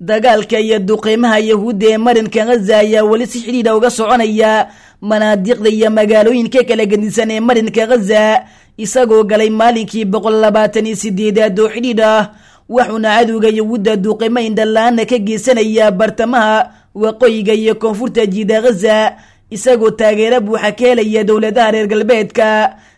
Dagaalka iyo duqeymaha Yahuudda ee marinka Ghaza ayaa weli si xidhiidha uga soconaya manaadiqda iyo magaalooyinka kala gedisan ee marinka Ghaza, isagoo galay maalinkii 128aad oo xidhiidh ah. Wuxuuna cadowga Yahuudda duqeymo indhala-aana ka geysanaya bartamaha, waqooyiga iyo koonfurta jiida Ghaza, isagoo taageero buuxa ka helaya dowladaha reer galbeedka.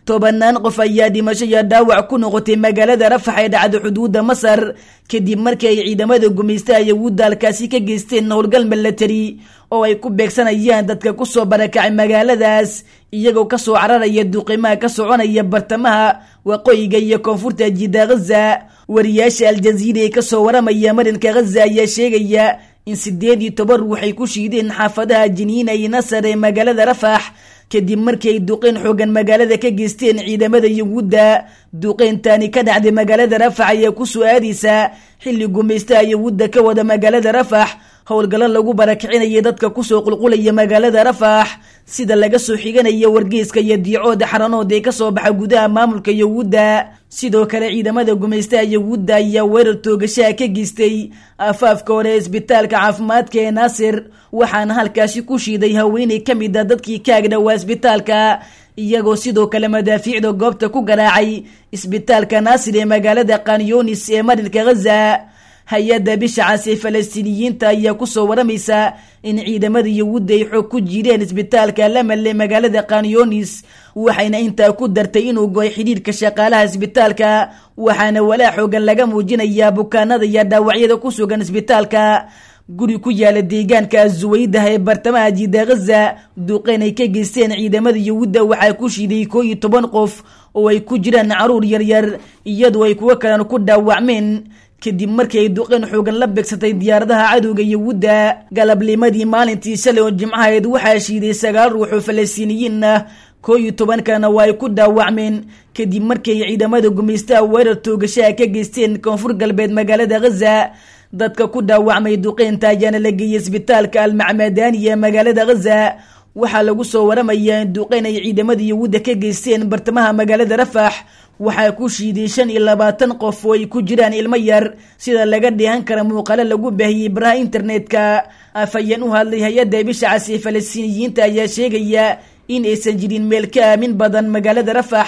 Tobanaan qof ayaa dhimasho iyo dhaawac ku noqotay magaalada Rafax ee dhacda xuduudda Masar, kadib markii ay ciidamada gumaystaha Yahuudda halkaasi ka geysteen howlgal milatari oo ay ku beegsanayaan dadka kusoo barakacay magaaladaas, iyagoo kasoo cararaya duqimaha ka soconaya bartamaha, waqooyiga iyo koonfurta jiida Ghaza. Wariyaasha Aljaziira ee kasoo waramaya marinka Ghaza ayaa sheegaya in 18 ruux ay ku shiideen xaafadaha Jiniina iyo Nasar ee magaalada Rafax, kadib markii ay duqeyn xoogan magaalada ka geysteen ciidamada Yahuudda. Duqeyntaani ka dhacday magaalada Rafax ayaa kusoo aadaysa xilli gumaystaha Yahuudda ka wada magaalada Rafax howlgallo lagu barakicinaya dadka kusoo qulqulaya magaalada Rafax, sida laga soo xiganaya wargeyska iyo diicooda xaranood ee kasoo baxa gudaha maamulka Yahuudda. Sidoo kale ciidamada gumaystaha Yahuudda ayaa weerar toogashaha ka geystay afaafka hore ee isbitaalka caafimaadka ee Naasir, waxaana halkaasi ku shiiday haweeney ka mid a dadkii ka agdhowaa isbitaalka, iyagoo sidoo kale madaafiicda goobta ku garaacay isbitaalka Naasir ee magaalada Kanyonis ee marinka Ghaza. Hay-adda bisha cas ee Falastiiniyiinta ayaa kusoo waramaysa in ciidamada Yahuudda ay xoog ku jireen isbitaalka Lamal ee magaalada Kanyonis, waxayna intaa ku dartay inuu go'ay xidhiidhka shaqaalaha isbitaalka, waxaana walaa xoogan laga muujinayaa bukaanada iyo dhaawacyada ku sugan isbitaalka. Guri ku yaala deegaanka Azuweydah ee bartamaha jiida Ghaza, duqeyn ay ka geysteen ciidamada Yahuudda waxaa ku shiiday 11 qof oo ay ku jiraan caruur yaryar, iyadoo ay kuwo kalena ku dhaawacmeen kadib markii ay duqeyn xoogan la beegsatay diyaaradaha cadowga Yahuudda. Galabnimadii maalintii shalay oo jimcaheed waxaa shiiday 9 ruux oo Falastiiniyiin ah, 11 kalena waa ay ku dhaawacmeen kadib markii ay ciidamada gumaystaha weerar toogashaha ka geysteen koonfur galbeed magaalada Ghaza. Dadka ku dhaawacmay duqeynta ayaana la geeyey isbitaalka Almacmadani ee magaalada Ghaza. Waxaa lagu soo waramayaa in duqeyn ay ciidamada Yahuudda ka geysteen bartamaha magaalada Rafax waxaa ku shiiday 25 qof oo ay ku jiraan ilmo yar, sida laga dheehan kara muuqaalo lagu baahiyey baraha internetka. Afhayeen u hadlay hay-adda bisha cas ee Falastiiniyiinta ayaa sheegaya in aysan jirin meel ka aamin badan magaalada Rafax,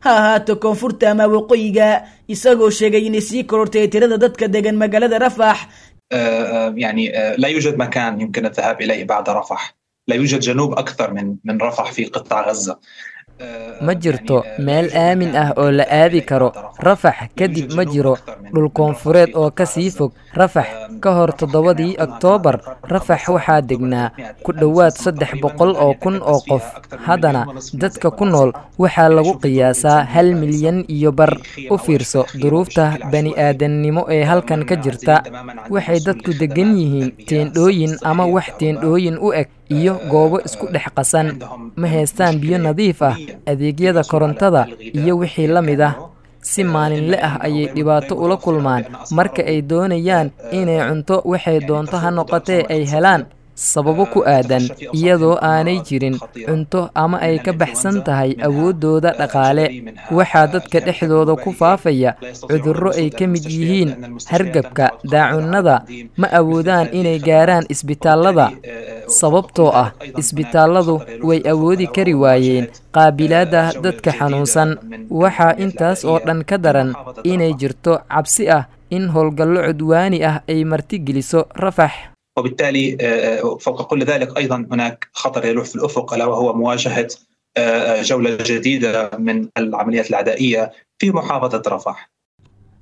ha ahaato koonfurta ama waqooyiga, isagoo sheegay inay sii korortay tirada dadka degan magaalada Rafax. يعني لا يوجد مكان يمكن الذهاب إليه بعد رفح، لا يوجد جنوب أكثر من رفح في قطاع غزة. Ma jirto meel aamin ah oo la aadi karo Rafax kadib. Ma jiro dhul koonfureed oo ka sii fog Rafax. Ka hor 7dii Oktoobar, Rafax waxaa degnaa ku dhowaad 300,000 oo qof. Haddana dadka ku nool waxaa lagu qiyaasaa 1.5 milyan. U fiirso duruufta bani'aadannimo ee halkan ka jirta. Waxay dadku deggan yihiin teendhooyin ama wax teendhooyin u eg iyo goobo isku dhex qasan. Ma haystaan biyo nadiif ah, adeegyada korontada iyo wixii la mid ah. Si maalinle ah ayay dhibaato ula kulmaan marka ay doonayaan inay cunto, waxay doonto ha noqotee, ay helaan, sababo ku aadan iyadoo aanay jirin cunto ama ay ka baxsan tahay awooddooda dhaqaale. Waxaa dadka dhexdooda ku faafaya cudurro ay ka mid yihiin hargabka, daacunnada. Ma awoodaan inay gaaraan isbitaallada, sababtoo ah isbitaalladu way awoodi kari waayeen qaabilaadda dadka xanuunsan. Waxaa intaas oo dhan ka daran inay jirto cabsi ah in howlgallo cudwaani ah ay martigeliso Rafax. وبالتالي فوق كل ذلك ايضا هناك خطر يلوح في الافق، الا وهو مواجهه جوله جديده من العمليات العدائيه في محافظه رفح.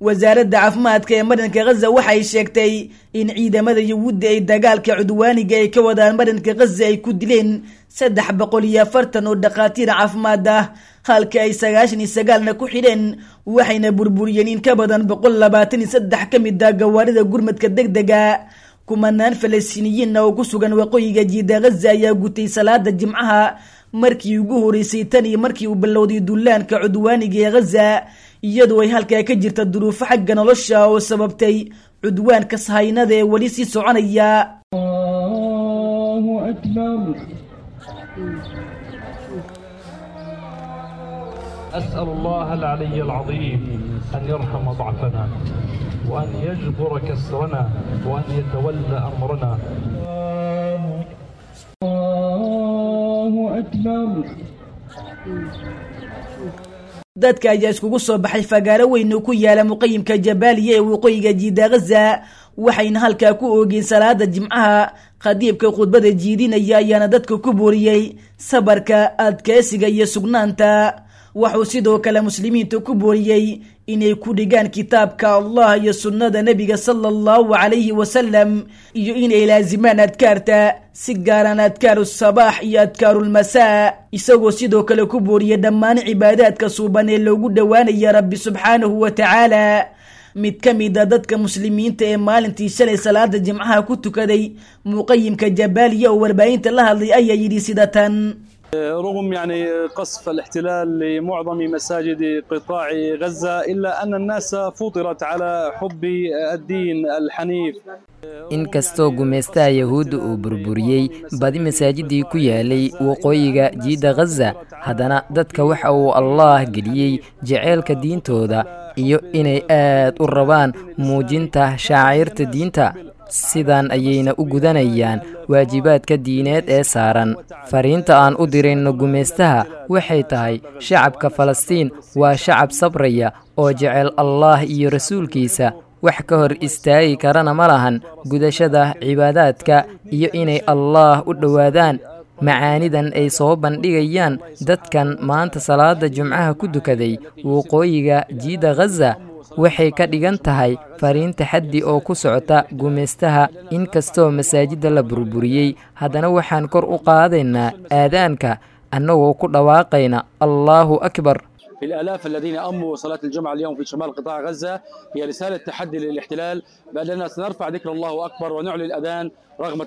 Wasaaradda caafimaadka ee marinka Ghaza waxay sheegtay in ciidamada Yahuudda ay dagaalka cudwaaniga ay ka wadaan marinka Ghaza ay ku dileen 340 oo dhakhaatiir caafimaad ah, halka ay 99na ku xidheen, waxayna burburiyeen in ka badan 123 ka mid ah gawaarida gurmadka degdega. Kumanaan Falastiiniyiinna oo ku sugan waqooyiga jiida Ghaza ayaa gutay salaada jimcaha markii ugu horeysay tan iyo markii uu bilowday dullaanka cudwaaniga ee Ghaza, iyadoo ay halkaa ka jirta duruufo xagga nolosha oo sababtay cudwaanka sahaynada ee weli sii soconaya. الله أكبر. أسأل الله العلي العظيم أن يرحم ضعفنا. وأن يجبر كسرنا وأن يتولى أمرنا. الله أكبر. Dadka ayaa iskugu soo baxay fagaaro weyn oo ku yaala muqayimka Jabaaliya ee waqooyiga jiida Ghaza, waxayna halkaa ku oogeen salaada Jimcaha. Khadiibka khudbada jiidinaya ayaana dadka ku booriyey sabarka, adkeysiga iyo sugnaanta. Wuxuu sidoo kale muslimiinta ku booriyey inay ku dhigaan kitaabka Allah iyo sunnada nebiga sala allahu calayhi wasalam, iyo inay laazimaan adkaarta, si gaaraan adkaaru sabaax iyo adkaarulmasaa, isagoo sidoo kale ku booriyey dhammaan cibaadaadka suuban ee loogu dhowaanaya Rabbi subxaanahu wa tacaala. Mid ka mid a dadka muslimiinta ee maalintii shalay salaada Jimcaha ku tukaday muqayimka Jabaaliya oo warbaahinta la hadlay ayaa yidhi sida tan: رغم يعني قصف الاحتلال لمعظم مساجد قطاع غزة، إلا أن الناس فطرت على حب الدين الحنيف. Inkastoo gumaystaha Yahuudda uu burburiyey badi masaajidii ku yaalay waqooyiga jiidda Ghaza, haddana dadka waxa uu Allaah geliyey jaceylka diintooda iyo inay aad u rabaan muujinta shacairta diinta. Sidan ayayna u gudanayaan waajibaadka diineed ee saaran. Fariinta aan u dirayno gumaystaha waxay tahay: shacabka Falastiin waa shacab sabraya oo jecel Allaah iyo rasuulkiisa, wax ka hor istaagi karana ma lahan gudashada cibaadaadka iyo inay Allaah u dhowaadaan. Macaanidan ay soo bandhigayaan dadkan maanta salaada Jumcaha ku dukaday waqooyiga jiidda Ghaza waxay ka dhigan tahay fariin taxaddi oo ku socota gumaystaha. Inkastoo masaajidda la burburiyey, haddana waxaan kor u qaadaynaa aadaanka annagoo ku dhawaaqayna Allaahu akbar. في الآلاف الذين أموا صلاة الجمعة اليوم في شمال قطاع غزة هي رسالة تحدي للاحتلال بأننا سنرفع ذكر الله أكبر ونعلن الأذان رغم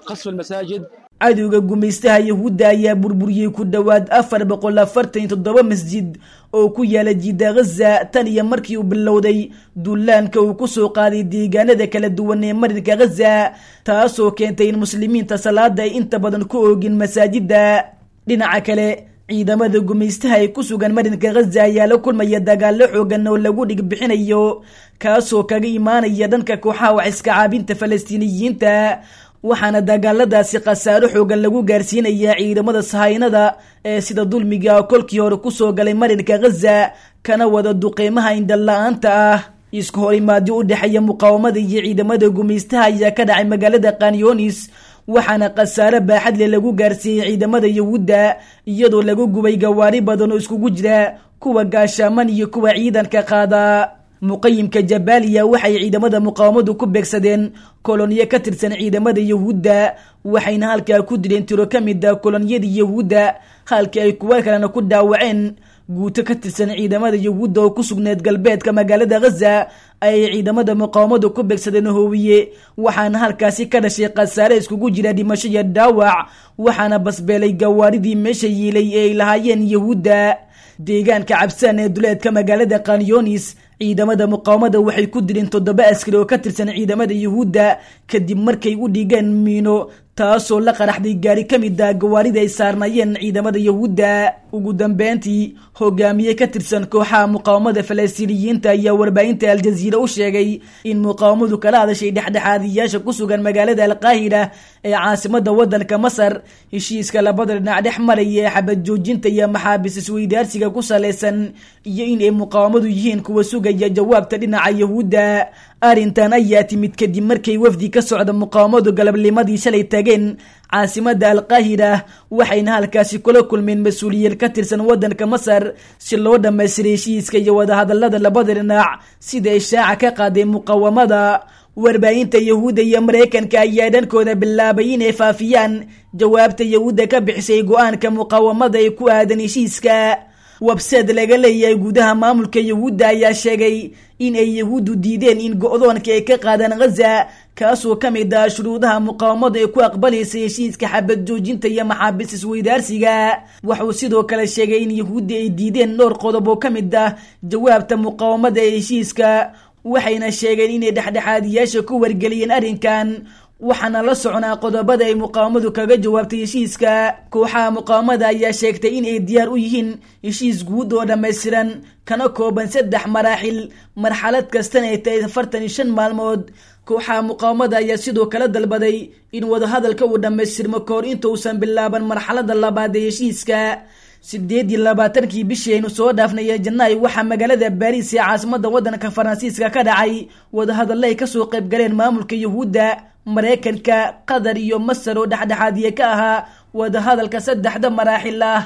قصف المساجد. Cadowga gumaystaha Yahuudda ayaa burburiyey ku dhowaad 447 masjid oo ku yaala jiida Ghaza tan iyo markii uu bilowday duulaanka uu ku soo qaaday deegaanada kala duwan ee marinka Ghaza, taasoo keentay in muslimiinta salaada ay inta badan ku oogin masaajidda. Dhinaca kale, ciidamada gumaystaha ay ku sugan marinka Ghaza ayaa la kulmaya dagaallo xoogan oo lagu dhig bixinayo, kaasoo kaga imaanaya dhanka kooxaha wax iska caabinta Falastiiniyiinta, waxaana dagaaladaasi khasaaro xoogan lagu gaarsiinayaa ciidamada sahaynada ee sida dulmiga kolkii hore kusoo galay marinka Ghaza kana wada duqeymaha indhala-aanta ah. Isku horimaadyo u dhexeeya muqaawamada iyo ciidamada gumaystaha ayaa ka dhacay magaalada Kanyonis, waxaana khasaare baaxad leh lagu gaarsiiyey ciidamada Yahuudda, iyadoo lagu gubay gawaari badan oo iskugu jira kuwa gaashaaman iyo kuwa ciidanka qaada. Muqayimka Jabaaliya waxay ciidamada muqaawamadu ku beegsadeen koloniyo ka tirsan ciidamada Yahuudda, waxayna halkaa ku dileen tiro ka mid ah koloniyadii Yahuudda, halkii ay kuwa kalena ku dhaawaceen. Guuto ka tirsan ciidamada Yahuudda oo ku sugneed galbeedka magaalada Ghaza ayay ciidamada muqaawamadu ku beegsadeen hoowiye, waxaana halkaasi ka dhashay khasaare iskugu jira dhimasho iyo dhaawac, waxaana basbeelay gawaaridii meesha yiilay ee ay lahaayeen Yahuudda. Deegaanka Cabsaan ee duleedka magaalada Kanyonis, ciidamada muqaawamada waxay ku dileen 7 askari oo ka tirsan ciidamada Yahuudda kadib markay u dhigeen miino, taasoo la qaraxday gaari ka mid ah gawaarida ay saarnaayeen ciidamada Yahuudda. Ugu dambeyntii, hogaamiye ka tirsan kooxaha muqaawamada Falastiiniyiinta ayaa warbaahinta Aljaziira u sheegay in muqaawamadu kala hadashay dhexdhexaadiyaasha ku sugan magaalada Alqaahira ee caasimadda waddanka Masar heshiiska labada dhinac dhex maraya ee xabad joojinta iyo maxaabiis isweydaarsiga ku salaysan, iyo in ay muqaawamadu yihiin kuwa sugaya jawaabta dhinaca Yahuudda. Arrintan ayaa timid kadib markay wafdi ka socda muqaawamadu galabnimadii shalay tageen caasimadda Alqaahira, waxayna halkaasi kula kulmeen mas-uuliyiin ka tirsan waddanka Masar si loo dhammaystiray heshiiska iyo wadahadallada labada dhinac, sida ishaaca ka qaadeen muqaawamada. Warbaahinta Yahuudda iyo Maraykanka ayaa dhankooda bilaabay inay faafiyaan jawaabta Yahuudda ka bixisay go-aanka muqaawamada ee ku aadan heshiiska. Website laga leeyahay gudaha maamulka Yahuudda ayaa sheegay in ay Yahuuddu diideen in go-doonka ay ka qaadaan Ghaza, kaasoo ka mid ah shuruudaha muqaawamadu ay ku aqbalaysay heshiiska xabad joojinta iyo maxaabiis isweydaarsiga. Wuxuu sidoo kale sheegay in Yahuudda ay diideen dhowr qodob oo ka mid ah jawaabta muqaawamada ee heshiiska, waxayna sheegeen inay dhexdhexaadiyaasha ku wargeliyeen arrinkan. Waxaana la soconaa qodobada ay muqaawamadu kaga jawaabtay heshiiska. Kooxaha muqaawamada ayaa sheegtay in ay diyaar u yihiin heshiis guud oo dhammaystiran kana kooban 3 maraaxil, marxalad kastana ay tahay 45 maalmood. Kooxaha muqaawamada ayaa sidoo kale dalbaday in wadahadalka uu dhammaystirmo kahor inta uusan bilaaban marxalada labaad ee heshiiska. 28-kii bishii aynu soo dhaafnay ee Janaay waxaa magaalada Baariis ee caasimada waddanka Faransiiska ka dhacay wadahadalla ay kasoo qayb galeen maamulka Yuhuudda, Maraykanka, Qatar iyo Masar oo dhexdhexaadiye ka ahaa wadahadalka saddexda maraaxil ah.